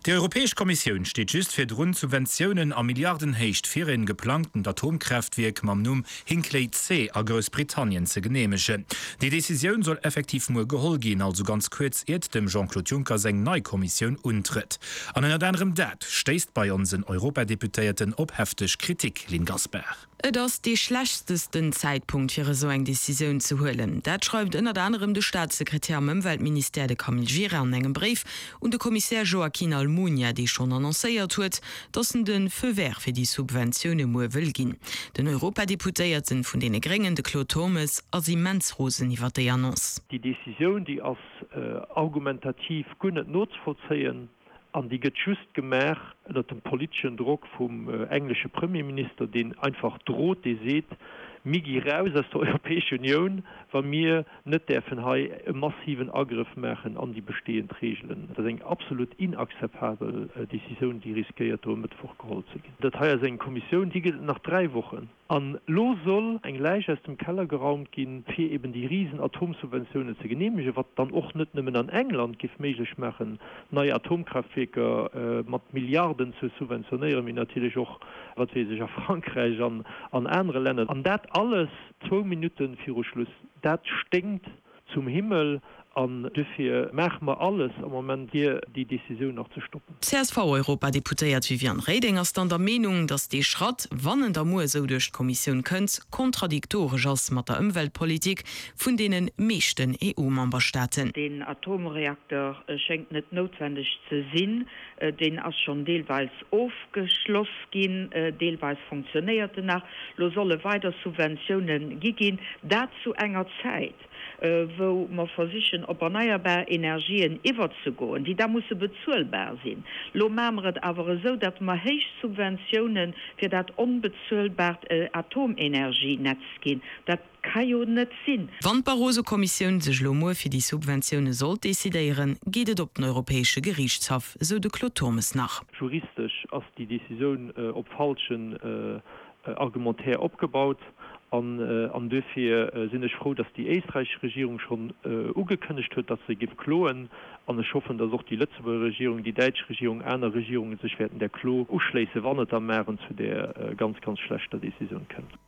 Déi Europäesch Kommissioun steet just virdrun, Subventiounen a Milliardenhéicht fir en geplangtent Atomkraaftwierk mam Numm Hinkley C a Groussbritannien ze geneemegen. Déi Decisioun soll effektiv muer geholl ginn, also ganz kuerz iert dem Jean-Claude Juncker seng nei Kommissioun untrëtt. An ënnert anerem dat stéisst bei onsen Europadeputéierten op hefteg Kritik, Lynn Gaspar. Et ass dee schlechtestesten Zäitpunkt fir esou eng Decisioun ze huelen. Dat schreift ënnert anerem de Staatssekretär am Ëmweltministère, de Camille Gira, an engem Bréif un de Kommissär Joaquín Almunia, dee schonn annoncéiert huet, datt en de Feu vert fir déi Subventioune muer wëll ginn. Den Europadeputéierten vun deene Gréngen, de Claude Turmes, ass immens rosen iwwer déi Annonce. Déi Decisioun, déi ass argumentativ guer net nozevollzéien. An déi gëtt just gemaach ënnert dem politeschen Drock vum englesche Premierminister, deen einfach drot, dee seet, Mir gi raus aus der Europäescher Unioun, wa mir net däerfen hei e massiven Agrëff maachen an déi bestehend Regeln. Dat ass eng absolut inakzeptabel Decisioun, déi riskéiert do e Mëttwoch geholl ze ginn. Dat hei ass eng Kommissioun, déi gëtt et nach 3 Wochen. An elo soll eng Läich aus dem Keller geraumt ginn, fir eben déi risen Atomsubventiounen ze genehmegen, wat dann och net nëmmen an England géif méiglech maachen, nei Atomkraaftwierker mat Milliarden ze subventionéieren, mee natierlech och, wat weess ech, a Frankräich an an anere Länner. An dat alles zwou Minutte viru Schluss. Dat sténkt zum Himmel an duerfir maache mer alles am Moment, fir déi Décisioun nach ze stoppen. D'CSV-Europadeputéiert Viviane Reding ass dann der Meenung, datt dee Schratt, wann en da muer esou duerch d'Kommissioun kënnt, kontradiktoresch ass mat der Ëmweltpolitik vun deene meeschten EU-Memberstaaten. Deen Atomreakter schéngt net noutwendeg ze sinn. Deen ass schonn deelweis ofgeschloss ginn, deelweis fonctionnéiert en nach. Lo solle weider Subventioune gi ginn, dat zu enger Zäit, wou mer versichen op erneierbar Energien iwwerzegoen, déi da musse bezuelbar sinn. Lo maache mer et awer esou, datt mer héich Subventioune fir dat onbezuelbart Atomenergienetz ginn. Dat ka jo net sinn. Wann d'Barroso-Kommissioun sech elo muer fir déi Subventioune sollt decidéieren, geet et op den Europäesche Geriichtshaff, esou de Claude Turmes nach. Juristesch ass déi Decisioun op falschen Argumentaire opgebaut an duerfir sinn ech frou, datt déi éisträichesch Regierung schonn ugekënnegt huet, datt se géif kloen an ech hoffen, datt och déi Lëtzebuerger Regierung, déi däitsch Regierung, aner Regierunge sech wäerten där Klo uschléissen, wann et da maren zu där ganz, ganz schlechter Decisioun kënnt.